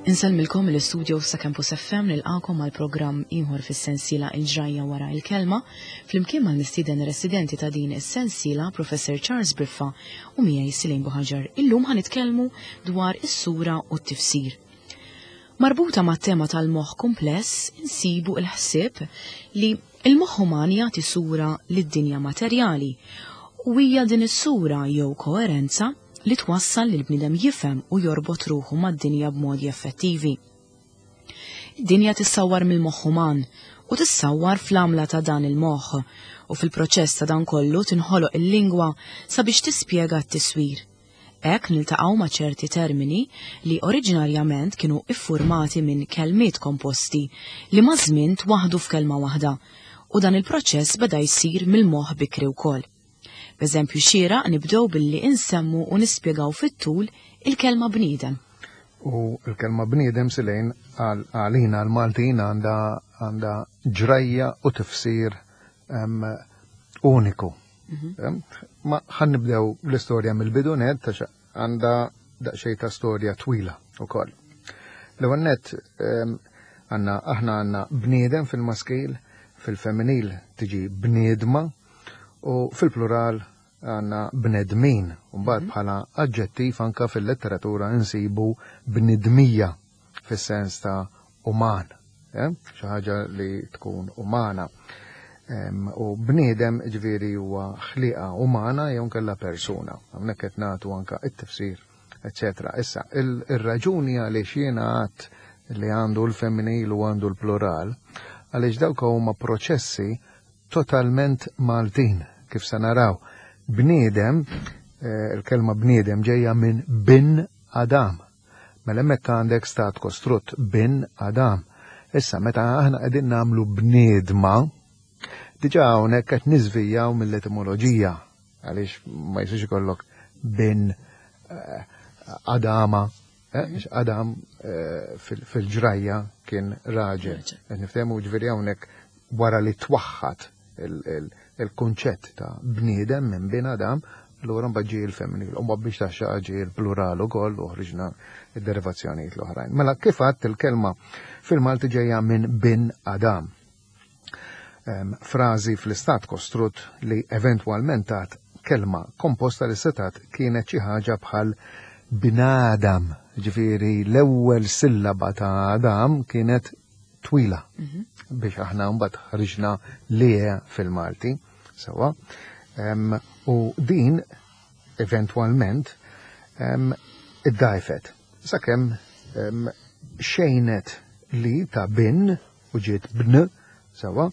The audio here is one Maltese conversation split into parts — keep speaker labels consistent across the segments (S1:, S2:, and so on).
S1: Insellmilkom mill-istudio sa Campus FM nilqakom għal programm ieħor fis-sensiela Il-ġrajja wara il-kelma flimkien mal-mistieden residenti ta' din is-sensiela Professor Charles Briffa u miegħi Silin Buħaġar. Illum ħa nitkellmu dwar is-sura u t-tifsir. Marbuta mat-tema tal-moħħ kumpless insibu l-ħsieb li l-moħħ uman jagħti sura lid-dinja materjali u hija din is-sura jew koerenza li twassal lill-bniedem jifhem u jorbot ruħu mad-dinja b'modi effettivi. Id-dinja tissawwar mill-moħħ uman u tissawwar fl-għamla ta' dan il-moħħ u fil-proċess ta' dan kollu tinħoloq il-lingwa sabiex tispjega t-tiswir. Hekk niltaqgħu ma' ċerti termini li oriġinarjament kienu iffurmati minn kelmiet komposti li maż-żmien twaħħdu f'kelma waħda u dan il-proċess beda jsir mill-moħħ bikri wkoll. B'eżempju xieraq nibdew billi insemmu u nispjegaw fit-tul il-kelma bniedem.
S2: U l-kelma bniedem silejn għalina l-Maltin għandha għandha ġrajja u tifsir uniku. Mhm. Ma ħan nibdew l-istorja mill-bidu net, għax għandha daqsxejn ta' storja twila wkoll. L-ewwel net għandna aħna għandna bniedem fil-maskil, fil-femminil tiġi bniedma u fil-plural għandna bnedmin. Mbagħad mhm. bħala aġġettiv anka fil-letteratura nsibu bnidmija fis-sens ta' uman, eh? xi ħaġa li tkun umana. U bniedem ġifieri huwa ħliqa umana jew nkella persuna. Hawnhekk qed nagħtu anka it-tifsir, eċetera. Issa, ir-raġuni għaliex jiena għadt li għandu l-femminil u għandu l-plural, għaliex dawk huma proċessi totalment Maltin, kif se naraw. Bniedem, eh, il-kelma bniedem ġejja minn bin Adam. Mela hemmhekk għandek stat kostrutt bin Adam. Issa meta aħna qegħdin nagħmlu bniedma, diġà hawnhekk qed niżvijjaw mill-etimoloġija għaliex ma jistax ikollok bin eh, Adama, eh, Adam eh, fil-ġrajja kien raġel. Qed niftehmu ġifieri hawnhekk wara li twaħħad il-kunċett ta' bniedem minn bin Adam, allura mbagħad ġie il-femminil, u mbagħad biex taxxa ġie il-plural ukoll u ħriġna id-derivazzjonijiet l-oħrajn. Mela kif għadt il-kelma fil-Malti ġejja minn bin Adam. Frażi fl-istat kostrut li eventwalment tat kelma komposta li setat kienet xi ħaġa bħal binadam, ġifieri l-ewwel sillaba ta' Adam kienet twila mhm. biex aħna mbagħad ħriġna lie fil-Malti. Sewa. U din eventwalment iddajfet sakemm xejnet li ta' bin u ġiet bn sewa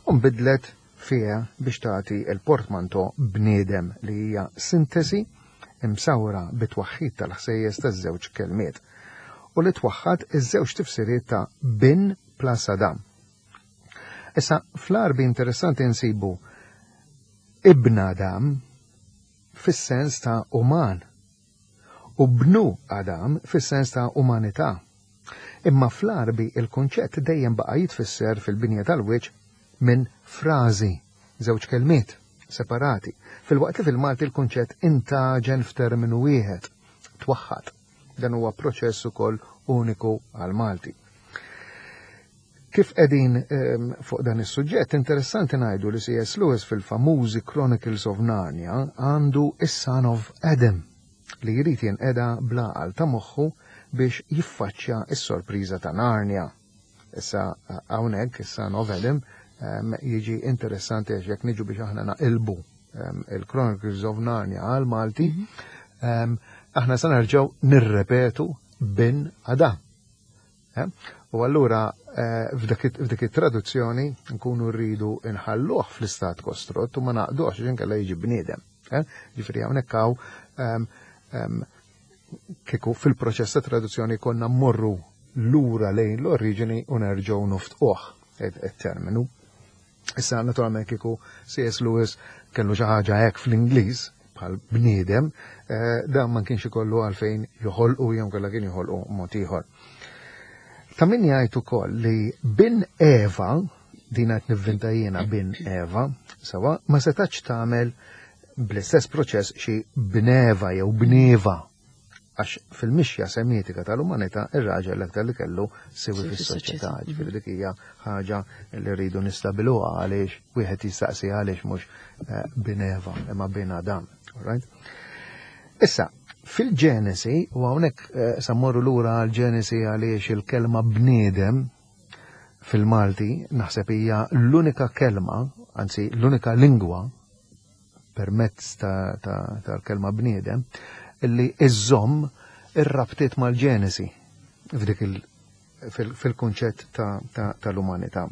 S2: u nbidlet fiha biex tagħti l-portmanto bniedem li hija sintesi imsawra bit-twaħħid tal-ħsejjes taż-żewġ kelmiet u li twaħħad iż-żewġ tifsiriet ta' bin plus Adam. Issa, fl-Għarbi interessanti nsibu ibn Adam fis-sens ta' uman u bnu Adam fis-sens ta' umanità. Imma fl-Għarbi il-kunċett dejjem baqa' jitfisser fil-binja tal-wiċċ minn frażi, żewġ kelmiet, separati, filwaqt li fil-Malti l-kunċett intgħaġen f'terminu wieħed, twaħħad. Dan huwa proċess ukoll uniku għall-Malti. Kif qegħdin ehm, fuq dan is-suġġett, interessanti ngħidu li C.S. Lewis fil-famużi Chronicles of Narnia għandu is-Son of Adam li jrid jinqeda bl-għaqal ta' moħħu biex jiffaċċja s-sorpriża ta' Narnia. Issa hawnhekk is-Son of Adam ehm, jiġi interessanti għax jekk niġu biex aħna naqilbu ehm, il-Chronicles of Narnia għal Malti, mhm. ehm, aħna se nerġgħu nirrepetu bin Adam. Eh? U allura eh, f'dik it-traduzzjoni nkunu rridu nħalluh fl-istat kostrott u ma naqduhx għax inkella jiġi bniedem. Eh? Ġifieri hawnhekk hawn ehm, ehm, kieku fil-proċess ta' traduzzjoni konna mmorru lura lejn l-oriġini u nerġgħu noftquh it-terminu. Issa naturalment kieku C.S. Lewis kellu xi ħaġa hekk fl-Ingliż bħal bniedem, eh, dan ma kienx ikollu għalfejn joħolqu jew kellha kien joħolqu mod ieħor. Ta' min jgħid ukoll li bin Eva, din qed nivvinta jiena bin Eva, sewa, ma setax tagħmel bl-istess proċess xi bneva jew bnieva. Għax fil-mixja semitika tal-umanità ir-raġel l-aktar li kellu siwi fis-soċjetà, ġifieri dik hija ħaġa li rridu nistabiluha għaliex wieħed jistaqsi għaliex mhux eh, bin Eva imma bin Adam. Right? Issa, fil-Ġenesi, u hawnhekk eh, sa mmorru lura għal-Ġenesi għaliex il-kelma bniedem fil-Malti naħseb hija l-unika kelma, anzi l-unika lingwa permezz tal-kelma bniedem, illi iżżomm ir-rabtiet mal-Ġenesi f'dik fil-kunċett tal-umanità.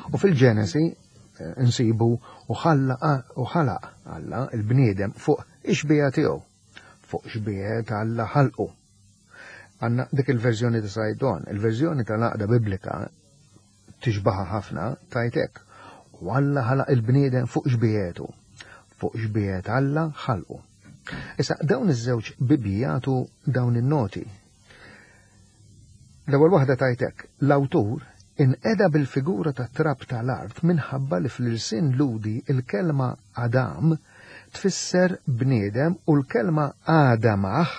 S2: U fil-Ġenesi eh, nsibu u ħalaq Alla il-bniedem fuq ix-xbieha tiegħu, fuq xbieha Alla ħalqu. Għanna dik il-verżjoni ta' Sajdon, il-verżjoni tal-għaqda Biblika tixbaha ħafna tgħid hekk, U Alla ħalaq il-bniedem fuq xbiehetu, fuq xbiehet Alla ħalqu. Issa dawn iż-żewġ Bibbji jagħtu dawn in-noti. L-ewwel waħda tgħid hekk, l-awtur inqeda bil-figura tat-trab tal-art minħabba li fl-ilsien Lhudi l-kelma Adam tfisser bniedem u l-kelma Adamah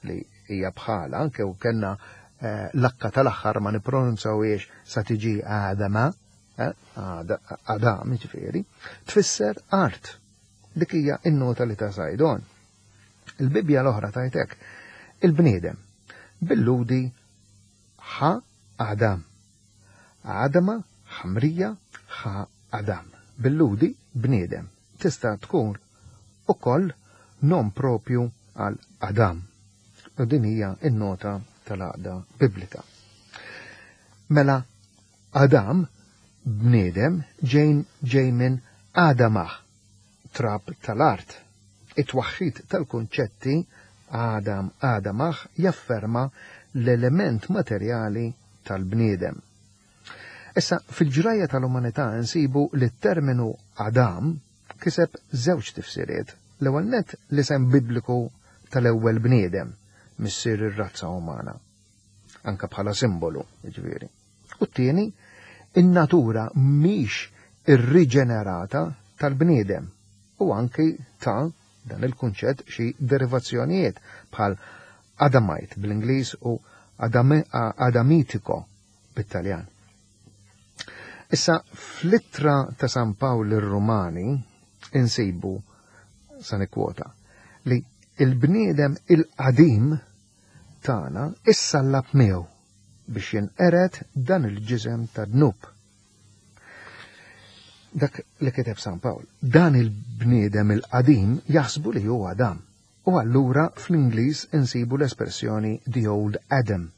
S2: li hija bħala, anke u kellna eh, l-akka tal-aħħar ma nippronunzawiex sa tiġi Adama, eh, Adam ġifieri, tfisser art. Dik hija n-nota li ta' Sajdon. Il-Bibbja l-oħra tajtek, il-bniedem bil-ludi ħa Adam. Adama, ħamrija, ħa Adam. Bil-ludi bniedem. Tista' tkun ukoll nom propju għal Adam. U din hija n-nota tal-għaqda Biblika. Mela Adam bniedem ġejn ġej minn Adamah, trab tal-art. It-twaħħid tal-kunċetti Adam Adamah jafferma l-element materjali tal-bniedem. Issa, fil-ġrajja tal-umanità nsibu li t-terminu Adam kiseb żewġ tifsiriet. L-ewwel nett l-isem Bibliku tal-ewwel bniedem, missier ir-razza umana, anke bħala simbolu, jiġifieri. U t-tieni, in-natura mhix irriġenerata tal-bniedem u anki ta' dan il-kunċett xi derivazzjonijiet bħal Adamite bl-Ingliż u Adamitiko bit-Taljan. Issa, fl-ittra ta' San Pawl lir-Rumani insibu, sa nikkwota, li il-bniedem il-qadim tagħna issallab miegħu biex jinqered dan il-ġisem ta' dnub. Dak li kiteb San Pawl, dan il-bniedem il-qadim jaħsbu li hu Adam. U allura fl-Ingliż insibu l-espressjoni the old Adam,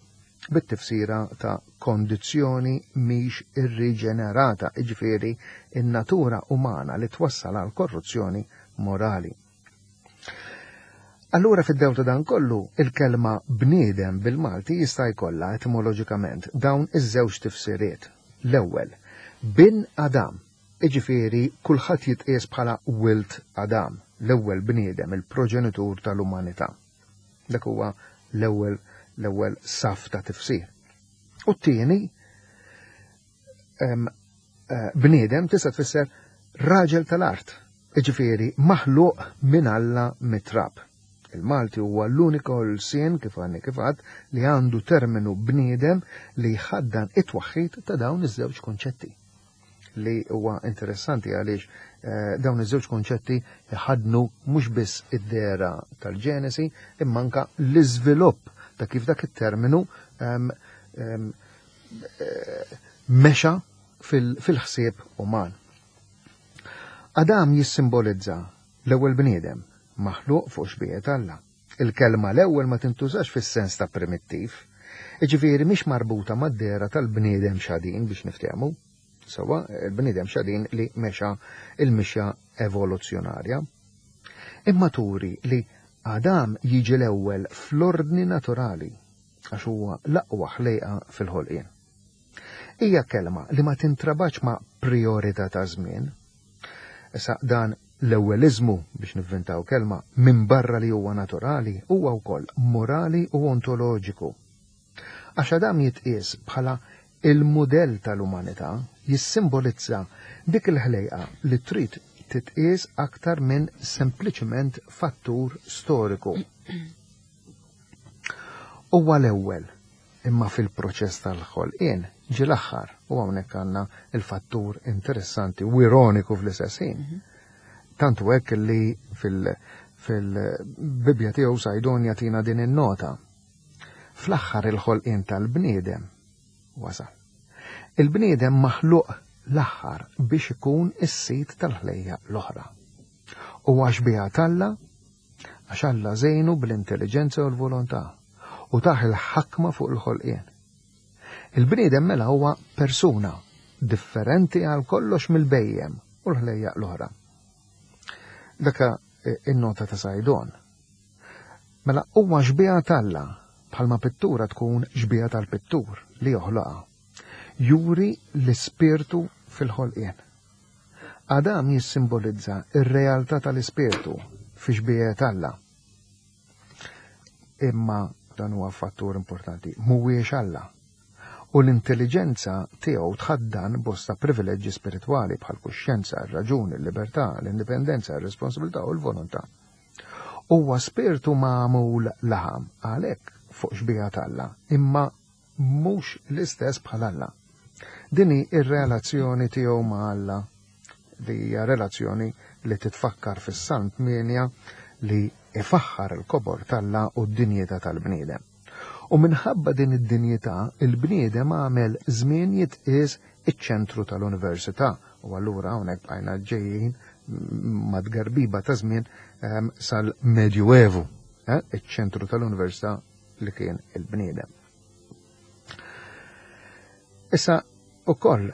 S2: bit-tifsira ta' kondizzjoni mhix irriġenerata, jiġifieri n-natura umana li twassal għal korruzzjoni morali. Allura fid-dewl ta' dan kollu, il-kelma bniedem bil-Malti jista' jkollha etimoloġikament dawn iż-żewġ tifsiriet. L-ewwel, bin Adam, Jiġifieri kulħadd jitqies bħala wild Adam, l-ewwel bniedem, il-proġenitur tal-umanità. Dak huwa l-ewwel l-ewwel saff ta' tifsir. U t-tieni eh, bniedem tista' tfisser raġel tal-art, jiġifieri maħluq minn Alla mit-trab. Il-Malti huwa l-uniku lsien kif għadni kif għadt li għandu terminu bniedem li jħaddan it-twaħħid ta' dawn iż-żewġ kunċetti. li huwa interessanti għaliex eh, dawn iż-żewġ konċetti jħadnu mhux biss id-dera tal-ġenesi imma anka l-iżvilupp ta' kif dak it-terminu ehm, ehm, eh, mexa fil-ħsieb uman. Adam jissimbolizza l-ewwel bniedem maħluq fuq xbijet Alla. Il-kelma l-ewwel ma tintużax fis-sens ta' primittiv, jiġifieri mhix marbuta mad-dehra tal-bniedem xadin biex niftehmu. Sewwa, il-bniedem xadin li mexa il-mixja evoluzzjonarja. Imma turi li Adam jiġi l-ewwel fl-ordni naturali għax huwa l-aqwa ħlejqa fil-ħolqien. Hija kelma li ma tintrabatx ma' prijorità ta' żmien. Issa dan l-ewweliżmu, biex nivvintaw kelma, minbarra li huwa naturali, huwa wkoll morali u ontoloġiku. Għax Adam jitqies bħala il-mudell tal-umanità, jissimbolizza dik il-ħlejqa li trid titqies aktar minn sempliċement fattur storiku. Huwa l-ewwel, imma fil-proċess tal-ħolqien ġie l-aħħar u hawnhekk għandna il-fattur interessanti u ironiku fl-istess ħin. Tant hu hekk li fil-Bibbja tiegħu Sajdon jagħtina din in-nota. Fl-aħħar il-ħolqien tal-bniedem wasal. Il-bniedem maħluq l-aħħar biex ikun is-sid tal-ħlejjaq l-oħra. Huwa xbieha t'Alla għax Alla żejnu bl-intelliġenza u l-volontà u tah il-ħakma fuq il-ħolqien. Il-bniedem mela huwa persuna differenti għal kollox mill-bhejjem u l-ħlejjaq l-oħra. Daka in-nota ta' Sajdon. Mela huwa xbieha t'Alla bħalma pittura tkun xbieha tal-pittur li joħloqha. Juri l-ispirtu fil-ħolqien. Adam jissimbolizza r-realtà tal-ispirtu fi xbiehet Alla. Imma dan huwa fattur importanti, mhuwiex Alla. U l-intelliġenza tiegħu tħaddan bosta privileġġi spiritwali bħal kuxjenza, ir-raġuni, il-libertà, l-indipendenza, ir-responsabilità u l-volontà. Huwa spirtu magħmul laħam, għalhekk fuq xbieha t'Alla, imma mhux l-istess bħal Alla. Din hi r-relazzjoni tiegħu ma' Alla, li hija relazzjoni li titfakkar fis-Salm 8 li ifaħħar il-kobor t'Alla u d-dinjità tal-bniedem. U minħabba din id-dinjità, il-bniedem għamel żmien jitqies iċ-ċentru tal-università u allura hawnhekk bqajna ġejjin mad-tgerbiba ta' żmien sal-Medjuevu, iċ-ċentru tal-università li kien il-bniedem. Issa ukoll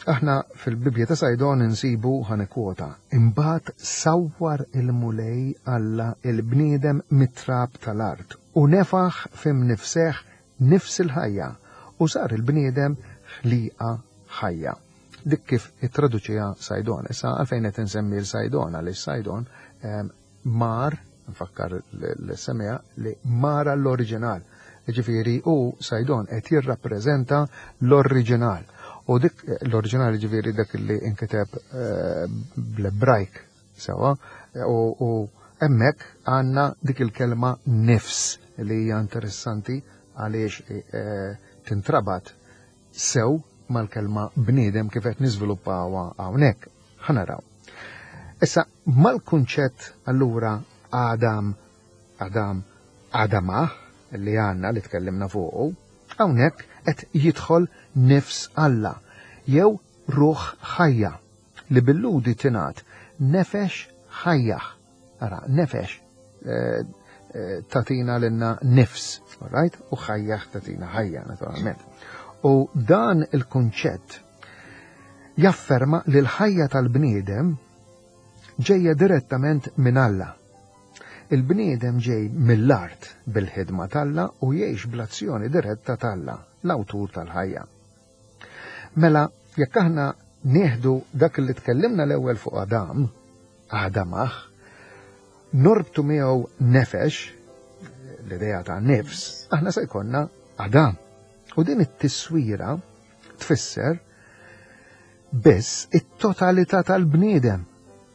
S2: aħna fil-Bibbja ta' Sajdon insibu ħanekwota, imbagħad sawwar il-Mulej Alla il-bniedem mit-trab tal-art u nefaħ f'imnifseh nifs il-ħajja u sar il-bniedem ħliqa ħajja. Dik kif ittraduċiha Sajdon. Issa għalfejn qed insemmi l-Sajdon għaliex Sajdon mar, nfakkar l-semija, li mar għall-oriġinal. Ġifieri u Sajdon qed jirrappreżenta l-oriġinal. U dik l-oriġinal ġifieri dak li inkiteb bl-Ebrajk sewa, u hemmhekk għandna dik il-kelma nifs li hija interessanti għaliex tintrabat sew mal-kelma bniedem kif qed niżviluppawha hawnhekk. Ħa naraw. Issa mal-kunċett allura Adam, Adam, Adamah li għandna li tkellimna fuqu, hawnhekk qed jidħol nifs Alla jew ruħ ħajja li bil-Lhudi tingħad nefex ħajjah. Ara, nefex tatina lilna nifs, right? U ħajjah tatina ħajja, naturalment. U dan il-kunċett jafferma li l-ħajja tal-bniedem ġejja direttament minn Alla. Il-bniedem ġej mill-art bil-ħidma t'Alla u jgħix bl-azzjoni diretta t'Alla, l-awtur tal-ħajja. Mela, jekk aħna nieħdu dak li tkellimna l-ewwel fuq Adam, Adamah, norbtu miegħu nefex, l-idea ta' nifs, aħna se jkollna Adam. U din it-tiswira tfisser biss it-totalità tal-bniedem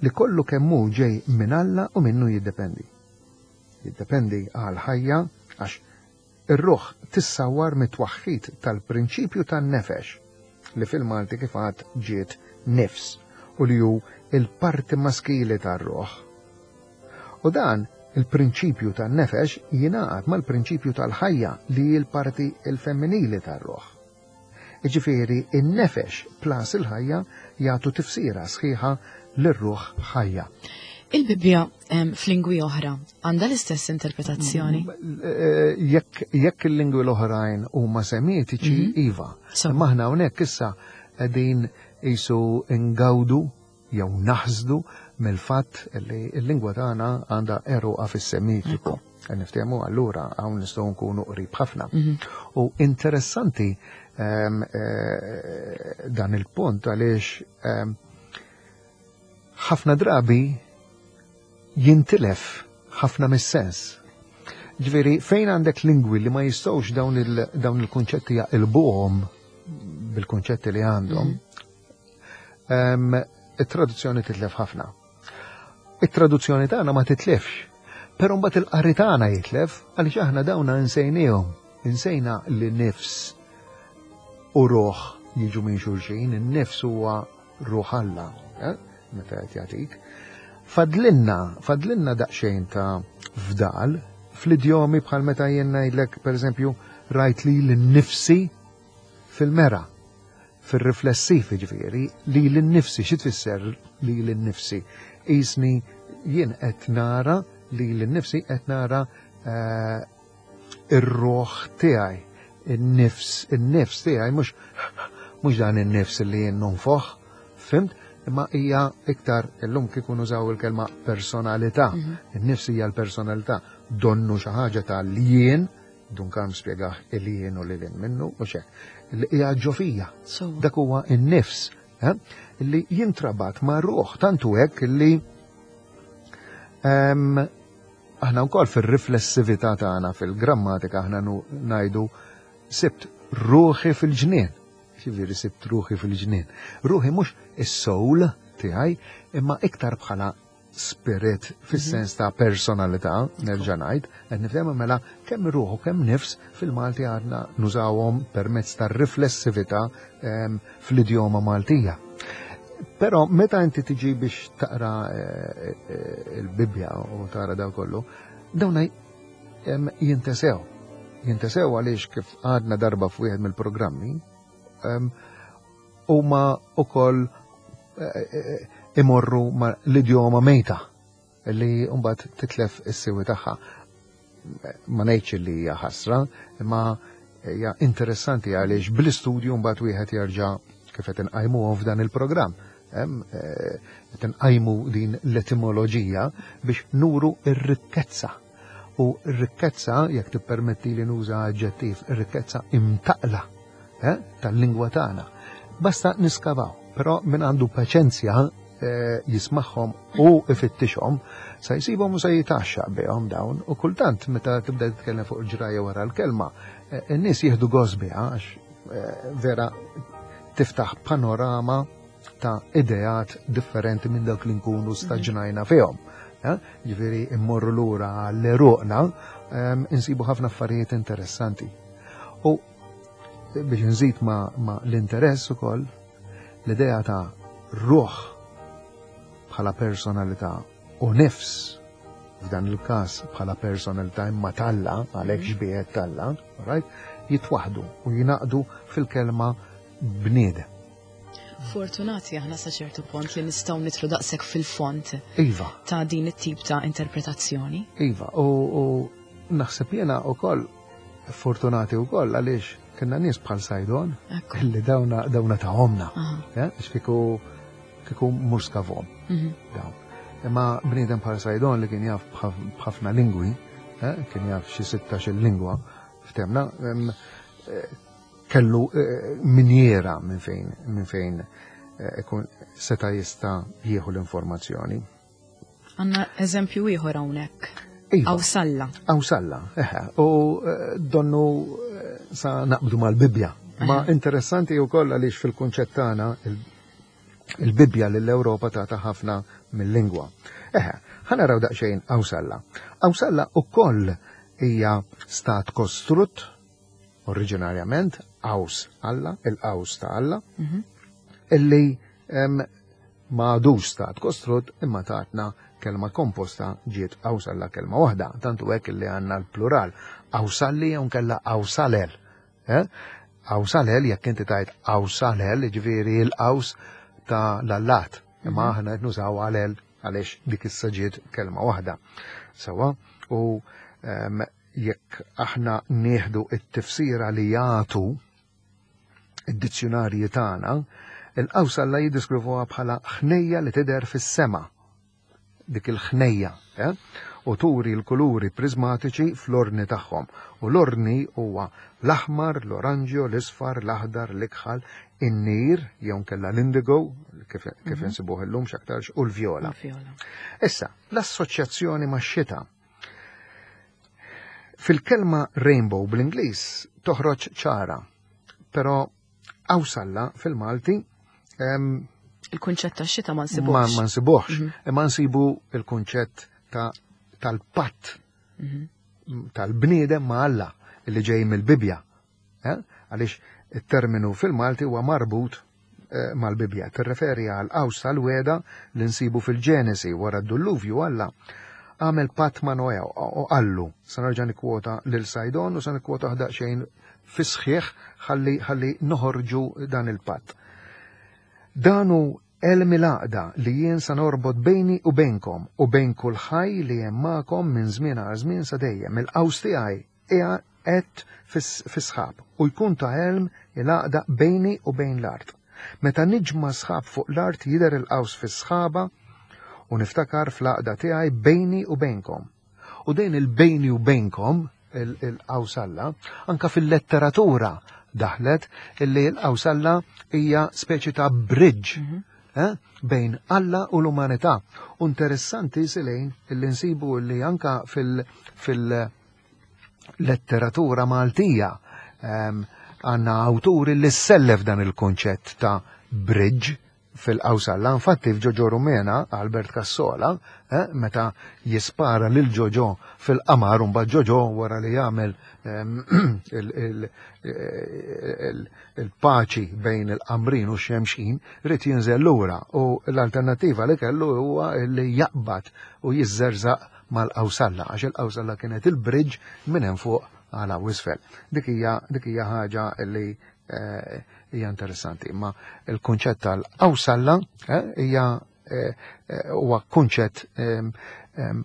S2: li kollu kemm hu ġej minn Alla u minnu jiddependi. Jiddependi għal ħajja għax ir-ruħ tissawwar mit-twaħħid tal-prinċipju tan-nefex li fil-Malti kif għad ġiet nifs u li hu il-parti maskili tar-ruħ. U dan il-prinċipju tan-nefex jingħaqad mal-prinċipju tal-ħajja li hi l-parti l-femminili tar-ruħ. Jiġifieri in-nefex plus il-ħajja jagħtu tifsira sħiħa lir-ruħ ħajja.
S1: Il-Bibbja f'lingwi oħra għandha l-istess interpretazzjoni?
S2: Jekk il-lingwi l-oħrajn huma semitiċi, iva. Imma aħna hawnhekk issa qegħdin qisu ngawdu jew naħsdu mill-fatt li l-lingwa tagħna għandha għeruqha fis-Semitiku. Niftehmu allura hawn nistgħu nkunu qrib ħafna. U interessanti dan il-punt għaliex ħafna drabi jintilef ħafna mis-sens. Ġifieri fejn għandek lingwi li ma jistgħux dawn il-kunċetti jaqilbuhom bil-kunċetti li għandhom, it-traduzzjoni titlef ħafna. It-traduzzjoni tagħna ma titlefx. Però mbagħad il-qari tagħna jitlef għaliex aħna dawna insejniehom, insejna li nifs u ruħ jiġu minn xulxin, in-nifs huwa ruħ Alla, eh, meta qed jagħtik. Fadlinna, fadlinna daqsxejn ta' fdal fl-idjomi bħal meta jien ngħidlek pereżempju rajt li l-nifsi fil-mera, fir-riflessiv jiġifieri, lili nnifsi, xi tfisser lili nnifsi? Qisni jien qed nara lili nnifsi qed nara eh, ir-ruħ tiegħi, in-nifs, in-nifs tiegħi mhux mhux dan in-nifs li jien nonfoħ, fimt? Imma hija iktar illum kieku nużaw il-kelma personalità. Mhm. In-nifs hija l-personalità, donnu xi ħaġa tal-jien Dun Karm spjegah il-jien u lil minnu u xek. Li hija ġo fija. Dak huwa n-nifs eh, li jintrabat ma' ruħ tantu hekk li ehm, aħna wkoll fir-riflessività tagħna fil-grammatika aħna ngħidu sibt ruħi fil-ġnien. Xivieri sibt ruħi fil-ġnien. Ruħi mhux is-soul tiegħi imma iktar bħala spirit fis-sens ta' personalità, nerġa' ngħid, qed nifhem mela kemm ruħu kemm nifs fil-Malti għadna nużawhom permezz tar-riflessività ehm, fl-idjoma Maltija. Però meta inti tiġi biex taqra eh, eh, il-Bibbja u tara daw kollu, dawn ehm, jintesew. Jintesew għaliex kif għadna darba f'wieħed mill-programmi, ehm, huma wkoll eh, eh, imorru ma l-idjoma mejta li mbagħad titlef is-siwi tagħha. Ma ngħidx li hija ħasra, imma hija interessanti għaliex bl-istudju mbagħad wieħed jerġa' kif qed inqajmuhom f'dan il-programm. Eh, qed inqajmu din l-etimoloġija biex nuru r-rikkezza. U r-rikkezza, jekk tippermetti li nuża aġġettiv, ir-rikkezza imtaqla eh, tal-lingwa tagħna. Basta niskavaw, però min għandu paċenzja eh, jismagħhom u ifittixhom, sa jsibhom u se jitaxxaq bihom dawn u kultant meta tibda titkellem fuq il-ġrajja wara l-kelma, eh, in-nies jieħdu gost biha għax vera tiftaħ panorama ta' ideat differenti minn dawk li nkunu staġnajna fihom. Ġifieri immorru lura għall-eruqna, insibu ħafna affarijiet interessanti. U biex nżid ma, ma l-interess ukoll l-idea ta' ruħ bħala personalità u nifs f'dan il-każ bħala personalità imma talla, għalhekk mhm. xbiehet talla, right? jitwaħdu u jinaqdu fil-kelma bniedem.
S1: Fortunati aħna sa ċertu pont li nistgħu nitlu daqshekk fil-font.
S2: Iva.
S1: Ta' din it-tip ta' interpretazzjoni.
S2: Iva, u, u naħseb jiena wkoll Fortunati wkoll għaliex kienna nies bħal Sajdon li dawna dawna ta' omna. Eh, kieku kieku mhux skavom. Mhm. Dawn. Imma bniedem bħal Sajdon li kien jaf b'ħafna lingwi, eh, kien jaf xi 16 lingwa ftemna, eh, kellu minjera minn fejn minn fejn ikun seta' jista' jieħu l-informazzjoni.
S1: Għanna eżempju ieħor hawnhekk. Iva. Awsalla.
S2: Awsalla, eħe. U eh, donnu eh, sa naqbdu mal-Bibbja. Ma interessanti wkoll għaliex fil-kunċett tagħna il-Bibbja lill-Ewropa tagħta ħafna mill-lingwa. Eħe, ħanaraw daqsxejn Awsalla. Awsalla ukoll hija stat kostrutt oriġinarjament Aws Alla, il-Aws ta' Alla, mhm. illi ma għadux stat kostrutt imma tatna kelma komposta ġiet Awsalla kelma waħda, tantu hekk illi għandna l-plural Awsalli jew nkella Awsalel. Eh? Awsalel jekk inti tajt Awsalel, ġifieri l-qaws ta' l-allat, imma mhm. aħna qed nużaw għalel għaliex dik issa ġiet kelma waħda. Sawa, u jekk aħna nieħdu it-tifsira li jagħtu id-dizzjunarji tagħna, il-qaws Alla jiddiskrivuha bħala ħnejja li tidher fis-sema. Dik il-ħnejja, eh? u turi l-kuluri prismatiċi fl-ordni tagħhom. U l-ordni huwa l-aħmar, l-oranġjo, l-isfar, l-aħdar, l-ikħal, in-nir, jew nkella l-indigo, kif, kif mhm. insibuh illum x'aktarx, u l-vjola. Issa, l-assoċjazzjoni max-xita Fil-kelma rainbow bl-Ingliż toħroġ ċara, però awsalla fil-Malti
S1: il-kunċett ta' xita ma nsibuħx.
S2: Ma nsibuħx, mhm. imma nsibu il-kunċett ta' tal-patt tal-bniedem ma' Alla li ġej mill-Bibbja. Eh? Għaliex it-terminu fil-Malti huwa marbut eh, mal-Bibbja. Tirreferi għal qaws tal-weda li nsibu fil-Ġenesi wara d-dulluvju Alla għamel patt ma' Noè u qallu, sa nerġa' nikkwota lil Sajdon u sa nikkwota ħdaqxejn fis-sħiħ ħalli ħalli noħorġu dan il-patt. Dan hu għelm il-għaqda li jien sa norbot bejni u bejnkom u bejn kull ħaj li hemm magħkom minn żmien għal żmien sa dejjem. Il-qaws tiegħi qiegħed fis-sħab u jkun ta' għelm il-għaqda bejni u bejn l-art. Meta niġma' sħab fuq l-art jidher il-qaws fis-sħaba u niftakar fl-għaqda tiegħi bejni u bejnkom. U dejn il-bejni u bejnkom, il-qawsalla, anka fil-letteratura daħlet illi l-qawsalla hija speċi ta' bridge mhm. eh, bejn Alla u l-umanità. U interessanti silejn illi nsibu illi anka fil- letteratura Maltija ehm, għanna awturi li sellef dan il-konċett ta' bridge fil-qawsalla. Infatti f'Ġoġo Rumena, Albert Cassola, eh, meta jispara lil Ġoġo fil-qamar, un Ġoġo wara li jagħmel ehm, il-paċi bejn il-qamrin u x-xemxin, rrid jinżel lura u l-alternattiva li kellu huwa li jaqbad u jiżżerżaq mal-qawsalla, għax il-qawsalla kienet il-bridge minn hemm fuq għal hawn isfel. Dik hija ħaġa li eh, hija interessanti, imma il-kunċett tal-qawsalla eh, hija eh, huwa kunċett ehm, ehm,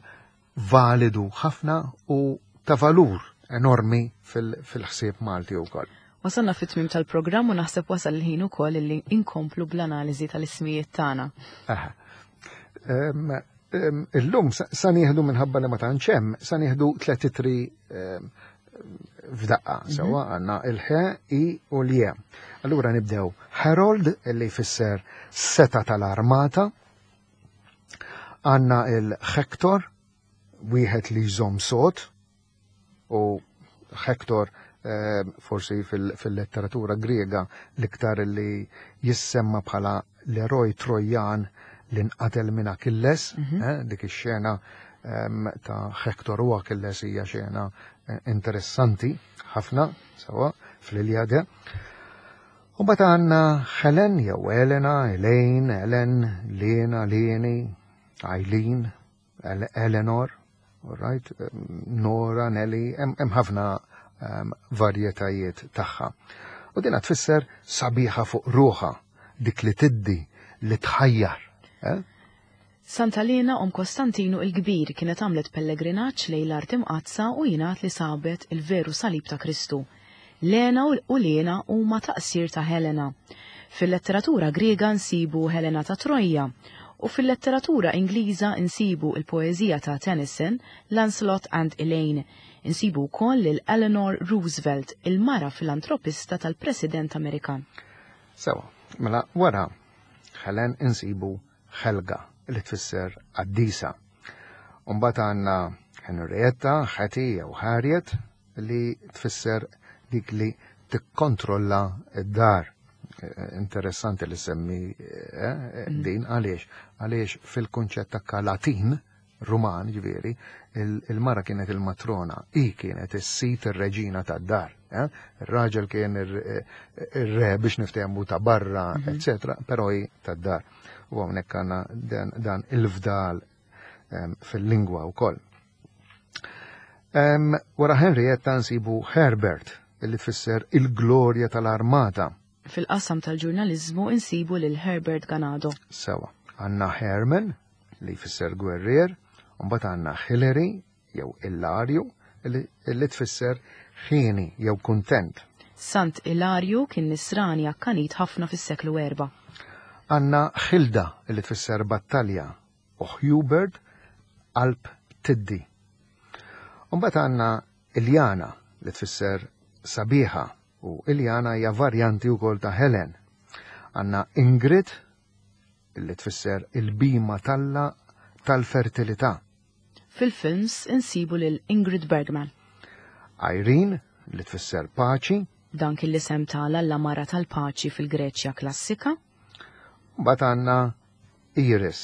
S2: validu ħafna u ta' valur enormi fil-ħsieb Malti wkoll.
S1: Wasalna fit-tmim tal-programm u naħseb wasal il-ħin ukoll illi inkomplu bl-analiżi tal-ismijiet tagħna.
S2: Ehm, illum sa nieħdu minħabba li ma tantx hemm, sa nieħdu tliet itri f'daqqa, mhm. sewwa għandna il-ħe, i u l-je. Allura nibdew Harold li jfisser seta tal-armata, għandna il-Hector, wieħed li jżomm sod, u Hector eh, forsi fil-letteratura Griega l-iktar li jissemma bħala l-eroj Trojan li nqatel minn Achilles, mm -hmm. dik ix-xena ehm, ta' Hector u Achilles hija xena eh, interessanti ħafna sewa fl-Iliade. U bat għandna Helen jew Elena, Elaine, Ellen, Lena, Leni, Eileen, Eleanor, all right, Nora, Nelly, hemm ħafna ehm, varjetajiet tagħha. U dina tfisser sabiħa fuq ruħa, dik li tiddi, li tħajjar. Eh?
S1: Santa Lena om Kostantinu il-Kbir kienet għamlet pellegrinaġġ lejn l-art imqaddsa u jingħad li sabet il-veru salib ta' Kristu. Lena u Lena huma taqsir ta' Helena. Fil-letteratura Griega nsibu Helena ta' Trojja u fil-letteratura Ingliża nsibu il-poeżija ta' Tennyson, Lancelot and Elaine. Insibu wkoll lil Eleanor Roosevelt, il-mara filantropista tal-President Amerikan.
S2: Sewa, mela wara Helen insibu Helga li tfisser qaddisa. Umbagħad għandna Henrietta, Hetty jew Harriet li tfisser dik li tikkontrolla d-dar. Eh, interessanti li semmi eh, eh, mm. din għaliex għaliex fil-kunċett ta' Latin Ruman ġifieri il-mara kienet il-matrona, i kienet is-sit ir-reġina tad-dar. Ir-raġel kien ir-re biex niftehmu ta' barra, mhm. eccetera, però hi tad-dar. U hawnhekk għandna dan il-fdal fil-lingwa wkoll. Wara Henrietta nsibu Herbert, illi tfisser il-glorja tal-armata.
S1: Fil-qasam tal-ġurnaliżmu insibu lil Herbert Ganado.
S2: Sewa, għandna Herman, li jfisser gwerrier, u mbagħad għandna Hillary jew Illarju li tfisser ħieni jew kuntent.
S1: Sant Ilarju kien nisrani akkanit ħafna fis-seklu 4.
S2: Għandna Hilda li tfisser battalja u Hubert qalb tiddi. Umbagħad għandna Iljana li tfisser sabiħa u Iljana hija varjanti wkoll ta' Helen. Għandna Ingrid li tfisser il-bima talla tal-fertilità.
S1: Fil-films insibu lil Ingrid Bergman.
S2: Irene li tfisser paċi.
S1: Dan kien l-isem tal-alla mara tal-paċi fil-Greċja klassika.
S2: Mbagħad għandna Iris.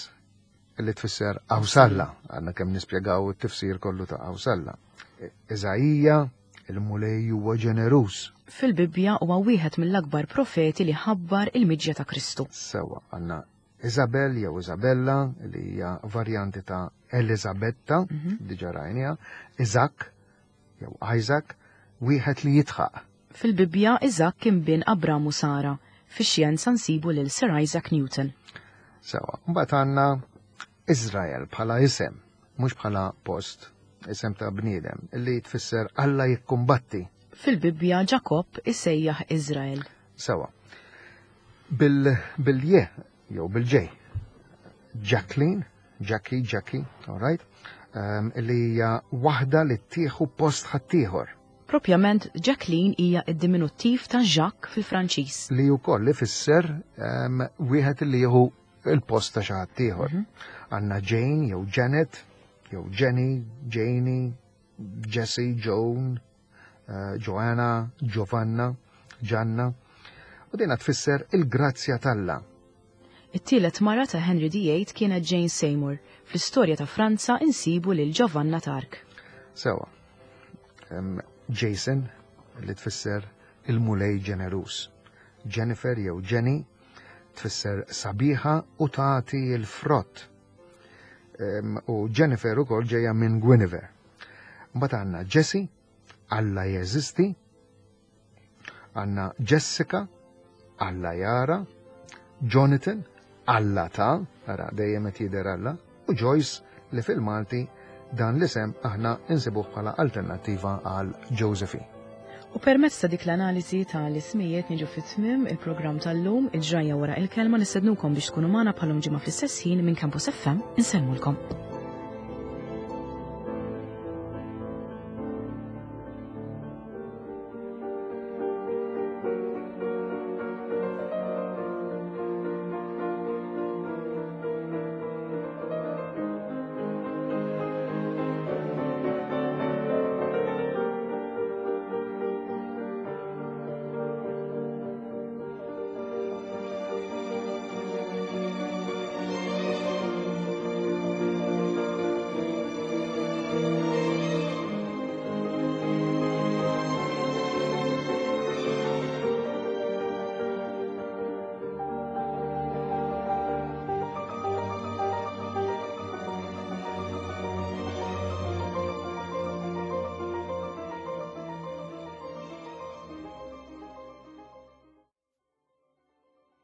S2: li tfisser Awsalla, għandna kemm nispjegaw it-tifsir kollu ta' Awsalla. Iżaija, il-Mulej huwa ġeneruż.
S1: Fil-Bibbja huwa wieħed mill-akbar profeti li ħabbar il-miġja ta' Kristu.
S2: Sewwa, għandna Isabel jew Isabella li hija varjanti ta' Elizabetta, diġà rajniha, Iżak jew Isaac, wieħed li jidħaq.
S1: Fil-Bibbja Iżakk kien bin Abram u Sara. Fix-xjenza nsibu lil Sir Isaac Newton.
S2: Sewwa, mbagħad għandna Israel bħala isem, mhux bħala post, isem ta' bniedem, li tfisser Alla jikkumbatti.
S1: Fil-Bibbja Ġakobb isejjaħ Israel.
S2: Sewwa. Bil-je jew bil-ġej. Jacqueline, Jackie, Jackie, all right, li hija waħda li tieħu post ħaddieħor.
S1: Propjament Jacqueline hija d-diminuttiv ta' Jacques fil-Franċiż.
S2: Li wkoll ifisser wieħed li jieħu il-post ta' xi ħadd ieħor. Għandna Jane jew Janet, jew Jenny, Janie, Jessie, Joan, Joanna, Giovanna, Gianna. U dina tfisser il-grazzja t'Alla.
S1: It-tielet mara ta' Henry the Eighth kienet Jane Seymour. Fl-istorja ta' Franza insibu lil Giovanna t'Arc.
S2: Sewwa. Jason, li tfisser il-Mulej ġeneruż. Jennifer jew Jenny tfisser sabiħa u tagħti l-frott. U Jennifer ukoll ġejja minn Guinevere. Mbagħad għandna Jesse, Alla jeżisti, għandna Jessica, Alla jara, Jonathan, Alla ta, ara dejjem qed jidher Alla, u Joyce li fil-Malti dan l-isem aħna insibuh bħala alternattiva għal Josephine.
S1: U permezz ta' dik l-analiżi ta' l-ismijiet niġu fi tmiem il-programm tal-lum, il-ġrajja wara il-kelma. Nistednukom biex tkunu magħna bħalum ġimgħa fl-istess ħin minn Campus FM. Insellmulkom.